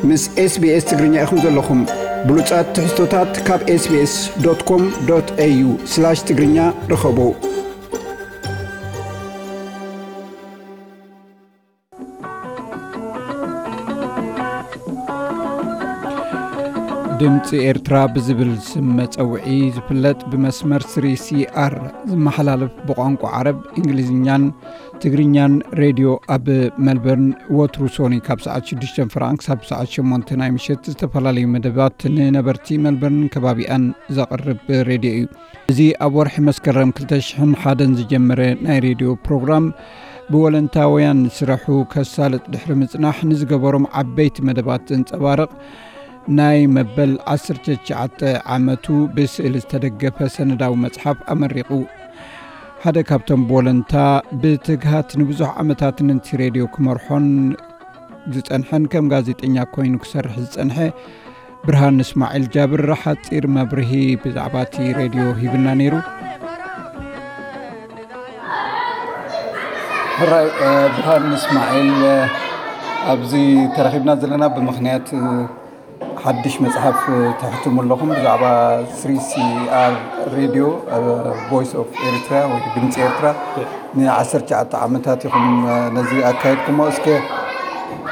ምስ SBS ትግርኛ ኢኹም ዘለኹም። ብሉጻት ትሕዝቶታት ካብ SBS.com.au/ትግርኛ ርኸቡ። ድምፂ ኤርትራ ብዝብል ስም መፀውዒ ዝፍለጥ ብመስመር ስሪ ሲ ኣር ዝመሓላለፍ ብቋንቋ ዓረብ፣ እንግሊዝኛን ትግርኛን ሬድዮ ኣብ መልበርን ወትሩ ሶኒ ካብ ሰዓት ሽዱሽተ ፍራን ክሳብ ሰዓት ሸሞንተ ናይ ምሸት ዝተፈላለዩ መደባት ንነበርቲ መልበርን ከባቢኣን ዘቕርብ ሬድዮ እዩ። እዚ ኣብ ወርሒ መስከረም ክልተ ሽሕን ሓደን ዝጀመረ ናይ ሬድዮ ፕሮግራም ብወለንታውያን ስራሑ ከሳልጥ ድሕሪ ምጽናሕ ንዝገበሮም ዓበይቲ መደባት ዘንጸባርቕ ናይ መበል ዓሰርተ ትሽዓተ ዓመቱ ብስእሊ ዝተደገፈ ሰነዳዊ መጽሓፍ ኣመሪቑ። ሓደ ካብቶም ብወለንታ ብትግሃት ንብዙሕ ዓመታት ነቲ ሬድዮ ክመርሖን ዝጸንሐን ከም ጋዜጠኛ ኮይኑ ክሰርሕ ዝጸንሐ ብርሃን እስማዒል ጃብር ሓጺር መብርሂ ብዛዕባ እቲ ሬድዮ ሂብና ነይሩ። ሕራይ፣ እ፣ ብርሃን እስማዒል፣ እ፣ ኣብዚ ተረኺብና ዘለና ብምኽንያት፣ እ፣ ሓድሽ መጽሓፍ፣ እ፣ ተሕትሙ ኣለኹም ብዛዕባ ስሪ ሲ ኣር ሬድዮ፣ እ፣ ቮይስ ኦፍ ኤሪትራ ወይ ድምፂ ኤርትራ። ንዓሰርተ ትሽዓተ ዓመታት ኢኹም፣ እ፣ ነዚ ኣካየድኩሞ። እስከ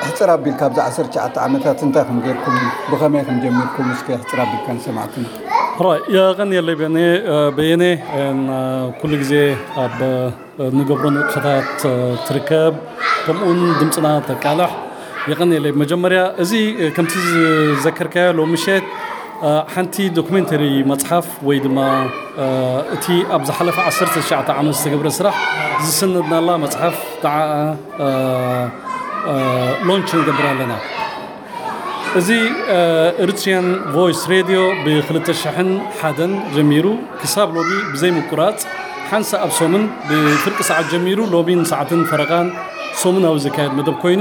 ሕጽር ኣቢልካ ኣብዚ ዓሰርተ ትሽዓተ ዓመታት እንታይ ከም ጌርኩም፣ ብኸመይ ከም ጀሚርኩም እስከ ሕጽር ኣቢልካ ንሰማዕትና። ሕራይ፣ የቐንየለይ በየነ፣ እ፣ በየነ፣ እ፣ ኩሉ ግዜ ኣብ፣ እ፣ ንገብሮ ንጥፈታት፣ እ፣ ትርከብ፣ ከምኡውን ድምፅና ተቃልሕ። የቐንየለይ። መጀመርያ እዚ፣ እ፣ ከምቲ ዝዘከርካዮ ሎሚ ምሸት፣ እ፣ ሓንቲ ዶክሜንተሪ መጽሓፍ ወይ ድማ፣ እ፣ እቲ ኣብ ዝሓለፈ ዓሰርተ ትሽዓተ ዓመት ዝተገብረ ስራሕ ዝሰነድናላ መጽሓፍ ተዓ-፣ እ፣ እ፣ ሎንች ንገብር ኣለና። እዚ፣ እ፣ ኤሪትሪያን ቮይስ ሬድዮ ብ ክልተ ሽሕን ሓደን ጀሚሩ ክሳብ ሎሚ ብዘይ ምቁራጽ ሓንሳእ ኣብ ሰሙን ብፍርቂ ሰዓት ጀሚሩ ሎሚ ንሰዓትን ፈረቓን ሰሙናዊ ዝካየድ መደብ ኮይኑ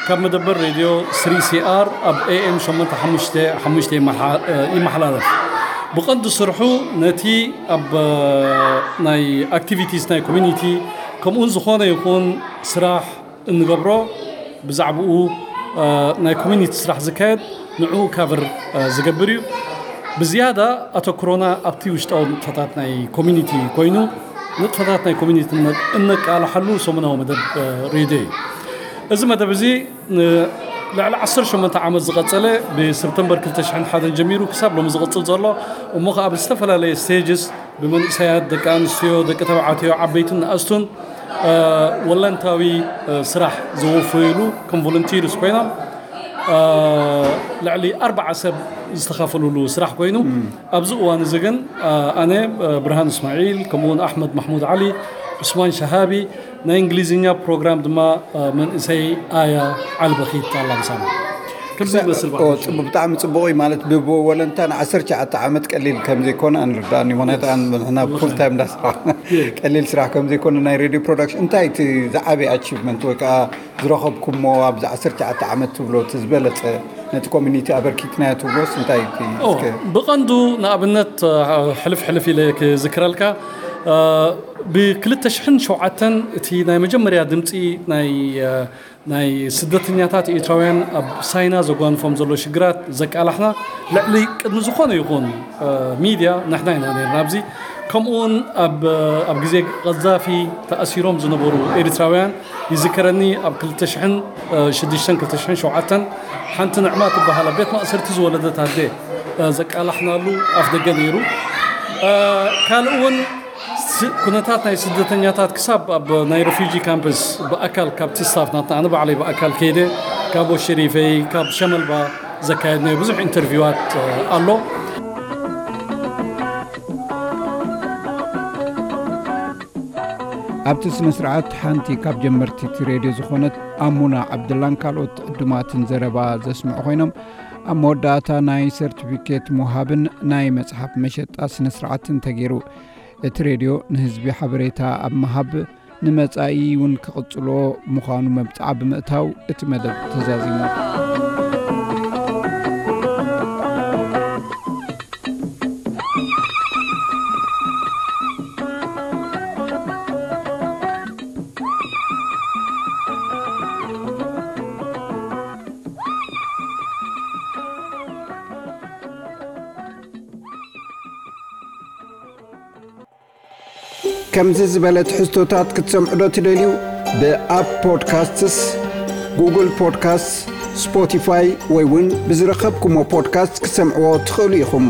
ካብ መደበር ሬድዮ ስሪ ሲ ኣር ኣብ ኤ ኤም ሸሞንተ ሓሙሽተ ሓሙሽተ ይመሓ-፣ እ፣ ይመሓላለፍ። ብቐንዱ ስርሑ ነቲ ኣብ፣ እ፣ ናይ ኣክቲቪቲስ ናይ ኮሚኒቲ ከምኡውን ዝኾነ ይኹን ስራሕ እንገብሮ ብዛዕባኡ፣ እ፣ ናይ ኮሚኒቲ ስራሕ ዝካየድ ንዕኡ ካቨር፣ እ፣ ዝገብር እዩ። ብዝያዳ ኣተኩሮና ኣብቲ ውሽጣዊ ንጥፈታት ናይ ኮሚኒቲ ኮይኑ ንጥፈታት ናይ ኮሚኒቲ እነ-፣ እነቃልሓሉ ሰሙናዊ መደብ፣ እ፣ ሬድዮ እዩ። እዚ መደብ እዚ ን-፣ ልዕሊ ዓሰርተ ሸሞንተ ዓመት ዝቐጸለ ብሰፕተምበር ክልተ ሽሕን ሓደን ጀሚሩ ክሳብ ሎሚ ዝቕጽል ዘሎ እሞ ኸዓ ብዝተፈላለየ ስቴጅስ ብመንእሰያት፣ ደቂ ኣንስትዮ፣ ደቂ ተባዕትዮ፣ ዓበይትን ንኣስቱን፣ እ፣ ወለንታዊ፣ እ፣ ስራሕ ዘወፈዩሉ ከም ቮለንቲርስ ኮይኖም፣ እ፣ ልዕሊ ኣርባዓ ሰብ ዝተኻፈሉሉ ስራሕ ኮይኑ፣ ኣብዚ እዋን እዚ ግን፣ እ፣ ኣነ፣ እ፣ ብርሃን እስማዒል፣ ከምኡውን ኣሕመድ ማሕሙድ ዓሊ፣ ዑስማን ሸሃቢ፣ ናይ እንግሊዝኛ ፕሮግራም ድማ፣ እ፣ መንእሰይ ኣያ ዓሊ በኺት ኣላ ምሳና። ከምዚ ይመስል ኦ፣ ባህል። ጽቡ-፣ ብጣዕሚ ጽቡቕ እዩ። ማለት ብወለንታ ን ዓሰርተ ትሽዓተ ዓመት ቀሊል ከም ዘይኮነ ኣንርዳእን እዩ። ምኽንያቱ ኣን-፣ ንሕና ፉል ታይም እንዳሰራሕና ቀሊል ስራሕ ከም ዘይኮነ ናይ ሬድዮ ፕሮዳክሽን። እንታይ እቲ ዝዓበየ ኣቺቭመንት ወይ ከዓ ዝረኸብኩሞ ኣብዚ ዓሰርተ ትሽዓተ ዓመት ትብሎ እቲ ዝበለጸ ነቲ ኮሚኒቲ ኣበርኪትናዮ ትብሎስ እንታይ እቲ ኦ፣ እስከ? ብቐንዱ ንኣብነት፣ እ፣ ሕልፍ ሕልፍ ኢለ ክዝክረልካ፣ እ፣ ብ ክልተ ሽሕን ሸውዓተን እቲ ናይ መጀመርያ ድምጺ ናይ፣ እ፣ ናይ ስደተኛታት ኤርትራውያን ኣብ ሳይና ዘጓንፎም ዘሎ ሽግራት ዘቃላሕና ልዕሊ ቅድሚ ዝኾነ ይኹን፣ እ፣ ሚድያ ንሕና ኢና ነርና። ኣብዚ ከምኡውን ኣብ፣ ኣብ ግዜ ቀዛፊ ተኣሲሮም ዝነበሩ ኤርትራውያን ይዝከረኒ። ኣብ ክልተ ሽሕን ሽዱሽተን ክልተ ሽሕን ሸውዓተን ሓንቲ ንዕማ ትበሃል ኣብ ቤት ማእሰርቲ ዝወለደት ኣደ፣ እ፣ ዘቃላሕናሉ ኣፍ ደገ ነይሩ። እ፣ ካልእ እውን ስ-፣ ኩነታት ናይ ስደተኛታት ክሳብ ኣብ ናይ ሬፊጂ ካምፕስ ብኣካል ካብቲ ስታፍ ናትና ኣነ ባዕለይ ብኣካል ከይደ ካብ ሸሪፈይ ካብ ሸመልባ ዘካየድናዮ ብዙሕ ኢንተርቪዋት፣ እ፣ ኣሎ። ኣብቲ ስነ ስርዓት ሓንቲ ካብ ጀመርቲ እቲ ሬድዮ ዝኾነት ኣሙና ዓብደላን ካልኦት ዕዱማትን ዘረባ ዘስምዑ ኮይኖም፣ ኣብ መወዳእታ ናይ ሰርቲፊኬት ምውሃብን ናይ መጽሓፍ መሸጣ ስነ ስርዓትን ተገይሩ። እቲ ሬድዮ ንህዝቢ ሓበሬታ ኣብ ምሃብ ንመጻኢ እውን ክቕጽሎ ምዃኑ መብጽዓ ብምእታው እቲ መደብ ተዛዚሙ። ከምዚ ዝበለ ትሕዝቶታት ክትሰምዑ ዶ ትደልዩ? ብኣፕ ፖድካስትስ፣ ጉግል ፖድካስትስ፣ ስፖቲፋይ ወይ እውን ብዝረኸብኩሞ ፖድካስት ክትሰምዕዎ ትኽእሉ ኢኹም።